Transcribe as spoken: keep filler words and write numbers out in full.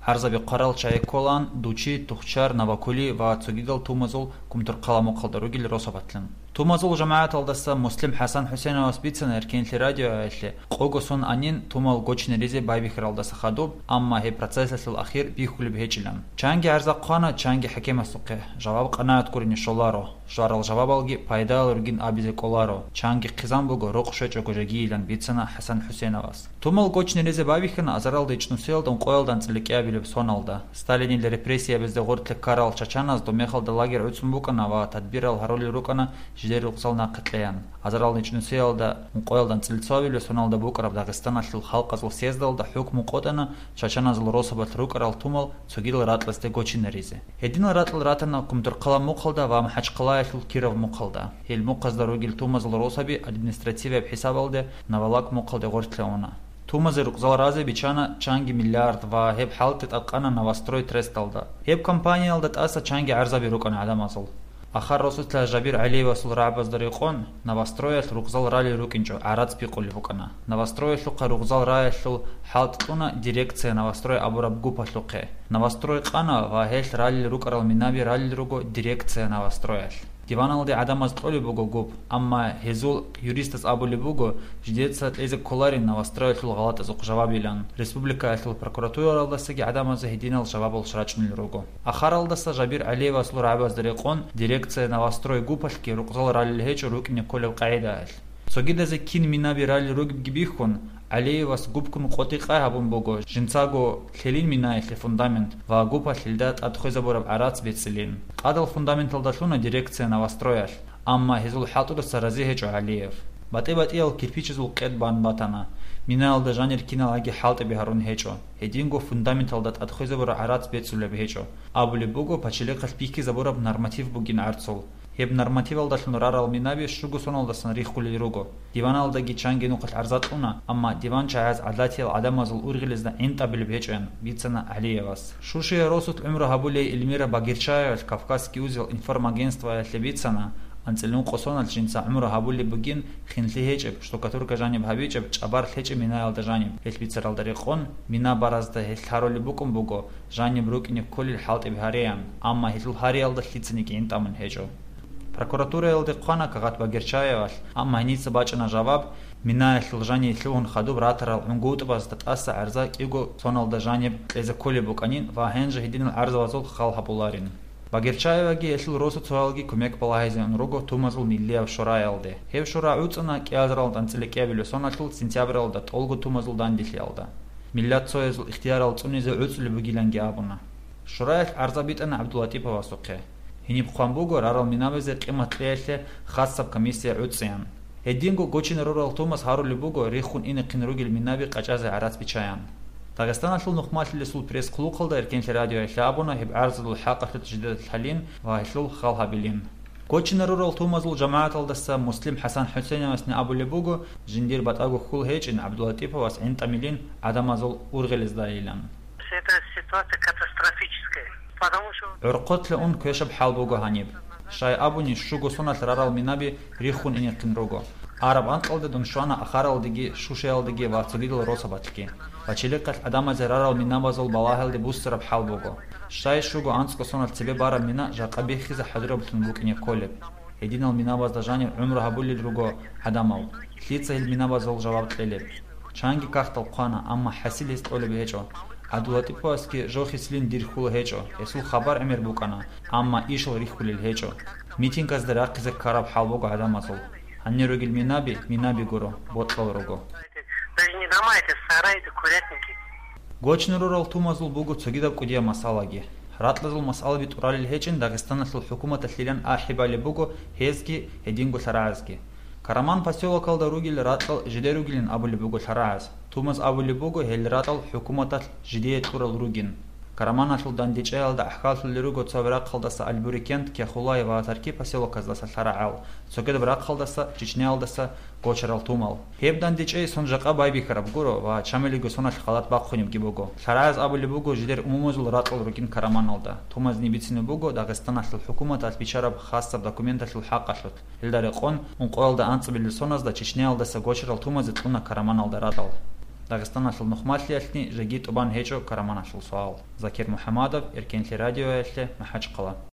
ГӀарзаби хъварал чагӀи кколаан Дучи, Тухчар, Навакули ва цогидал тумазул Кумторхъала мухъалда ругел росабалъун. Тумазул жамагӀаталдаса Муслим ХӀасан ХӀусеновас бицана Эркенлъи радиоялъе, къого сон анин тумал гочинаризе байбихьаралдаса хадуб, амма гьеб процессалъул ахир бихьулеб гьечӀилан. Чанги гӀарза хъвана, чанги хӀакимасухъе, жаваб къанагӀат гурони щоларо, щварал жавабалги пайдалал ругин абизе кӀоларо, чанги хъизан буго, рукъ щвечӀого жагийилан бицана ХӀасан ХӀусеновас. Тумал гочинаризе байбихьана азаралда ичӀнусиялда ункъоялда анцӀила кӀиабилеб соналда. Сталинил репрессиябазда гъорлъе ккарал чачаназ дов мехалда лагерь гӀуцӀун букӀана ва тадбирал гьарулел рукӀана жидер рукъзал нахъе кьеян. Азаралда ичӀнусиялда ункъоялда анцӀила цоабилеб соналда букӀараб Дагъистаналъул халкъазул съездалда хӀукму къотӀана чачаназул росабалъ рукӀарал тумал цогидал ракьалдасде гочинаризе. Гьединал ракьал ратана Кумторхъала мухъалда ва МахӀачхъалаялъул Киров мухъалда. Гьел мухъазда ругел тумазул росаби административияб хӀисабалде Навалак мухъалде гъорлъе уна. Тумазе рукъзал разе бичана чанги миллиард ва гьеб хӀалтӀи тӀадкъана Новострой Тресталда. Гьеб компаниялда тӀаса чанги гӀарзаби рукӀана гӀадамазул. Ахар росулъа Жабир ГӀалиевасул рагӀабазда рекъон, Новостроялъ рукъзал ралел рукӀинчӀо гӀарац бикъулеб букӀана. Новостроялъухъа рукъзал раялъул хӀалтӀ кьуна дирекция Новострой абураб гупалъухъе. Новострой къана ва гьелъ ралел рукӀарал минаби ралел руго дирекция Новостроялъ. Диваналде гӀадамаз кьолеб буго гуп, амма гьезул юристас абулеб буго, жидеца кьезе кколарин Новостроялъул гъалатӀазухъ жавабилан. Республикаялъул прокуратуралдасаги гӀадамазе гьединал жавабал рачӀунел руго. Ахаралдаса Жабир ГӀалиевасул рагӀабазда рекъон, дирекция Новострой гупалъги рукъзал ралел гьечӀо рукӀине кколеб къагӀидаялъ. Цогидазе кин минаби ралел ругебги бихьун, ГӀалиевас гупкун къотӀи-къай гьабун буго, жинцаго лъелин минаялъе фундамент ва гупалъ гьелда тӀад хвезабураб гӀарац бецӀилин. Къадал фундаменталда лъуна дирекция Новостроялъ, амма гьезул хӀалтӀудаса рази гьечӀо ГӀалиев. БатӀи-батӀиял кирпичазул къед бан батана, минаялда жанир киналги хӀалтӀиби гьарун гьечӀо, гьединго фундаменталда тӀад хвезабураб гӀарац бецӀулеб гьечӀо, абулеб буго пачалихъалъ бихьизабураб норматив бугин гӀарцул. Гьеб нормативалдалъун рарал минаби щуго соналдасан риххулел руго. Диваналдаги чанги нухалъ гӀарза кьуна, амма диван чагӀаз гӀадатиял гӀадамазул ургъелезда гӀинтӀабилеб гьечӀоян бицана ГӀалиевас. Шушиял росулъ гӀумру гьабулей Эльмира Багирчаевалъ Кавказский узел информагентствоялъе бицана, анцӀила ункъо соналъ жинца гӀумру гьабулеб бугин, хинлъи гьечӀеб, штукатурка жаниб гьабичӀеб, чӀабар лъечӀеб минаялда жаниб. Гьелъ бицаралда рекъон, мина баразда гьелъ гьарулеб букӀун буго, жаниб рукӀине кколел хӀалтӀиби гьареян, амма гьелъул гьариялда лъицаниги гӀинтӀамун гьечӀо. Прокуратураялде хъвана кагъат Багирчаевалъ, амма гьеница бачӀана жаваб, минаялъул жаниб лъугьун хадуб ратарал гӀунгутӀбазда тӀаса гӀарза кӀиго соналда жаниб кьезе кколеб букӀанин ва гьанже гьединал гӀарзабазул хал гьабуларин. Багирчаеваги гьелъул росуцоялги кумек балагьизе ун руго тумазул миллияб шураялде. Гьеб шура гӀуцӀана кӀиазаралда анцӀила кӀиабилеб соналъул сентябралда тӀолго тумазул данделъиялда. Миллат цоязул ихтиярал цӀунизе гӀуцӀулеб бугиланги абуна. Шураялъ гӀарза битӀана ГӀабдулатӀиповасухъе. Гьениб хъван буго рарал минабазе къимат кьеялъе хасаб комиссия гӀуцӀеян. Гьединго гочинарурал тумас гьарулеб буго риххун инехъин ругел минаби къачӀазе гӀарац бичаян. Дагъистаналъул нухмалъилесул пресс-хъулухъалда Эркенлъи радиоялъе абуна гьеб гӀарзалул хӀакъалъулъ жидедалъ лъалин ва гьелъул хал гьабилин. Гочинарурал тумазул жамагӀаталдаса Муслим ХӀасан ХӀусейновасни абулеб буго, жиндир батӀаго хьул гьечӀин ГӀабдулатӀиповас гӀинтӀамилин гӀадамазул ургъелездайилан. Это ситуация катастрофическая, потому что ГӀурхъулъе ун квешаб хӀал буго гьаниб. Щай абуни, щуго соналъ рарал минаби риххун инехъин руго. Араб анкьалда дун щвана Ахаралдеги, Шушаялдеги ва цогидал росабалъги. Пачалихъалъ гӀадамазе рарал минабазул балагьалде буссараб хӀал буго. Щай щуго анцӀго соналъ цебе бараб мина жакъа биххизе хӀадураблъун букӀине кколеб? Гьединал минабазда жаниб гӀумру гьабулел руго гӀадамал. Лъица гьел минабазул жаваб кьелеб? Чанги кагътал хъвана, амма хӀасил гьес кьолеб гьечӀо. ГӀабдулатӀиповасги жо хислъин дир хьул гьечӀо, гьесул хабар гӀемер букӀана, амма ишал рихьулел гьечӀо. Митингазда рахъизе ккараб хӀал буго гӀадамазул. Гьанир ругел минаби, минаби гуро, бокьал руго. Даже не дома, это сараи, это курятники. Гочнарурал тумазул буго цогидаб кӀудияб масъалаги. Ракьазул масъалаби тӀуралел гьечӀин Дагъистаналъул хӀукуматалъилан ахӀи балеб буго гьезги, гьединго лъарагӀазги. Караман посёлокалда ругел ракьал жидер ругилин абулеб буго лъарагӀаз. Тумаз абулеб буго гьел ракьал хӀукуматалъ жидее кьурал ругин. Караманалъул дандечӀеялда ахӀкаллъулел руго цо рахъалдаса Аль-Бурикент, Кяхулай ва Тарки посёлоказдаса лъарагӀал, цогидаб рахъалдаса, Чечняялдаса гочарал тумал. Гьеб дандечӀей сон жакъа байбихьараб гуро ва чамилиго соналъ халат бахъунебги буго. ЛъарагӀаз абулеб буго жидер умумузул ракьал ругин Караманалда. Тумазни бицине буго Дагъистаналъул хӀукуматалъ бичараб хасаб документалъул хӀакъалъулъ. Гьелда рекъон, ункъоялда анцӀабилел соназда Чечняялдаса гочарал тумазе кьуна Караманалда ракьал. Дагъистаналъул нухмалъиялъни жеги тӀубан гьечӀо караманалъул суал. Закир МухӀамадов, Эркенлъи радиоялъе, МахӀачхъала.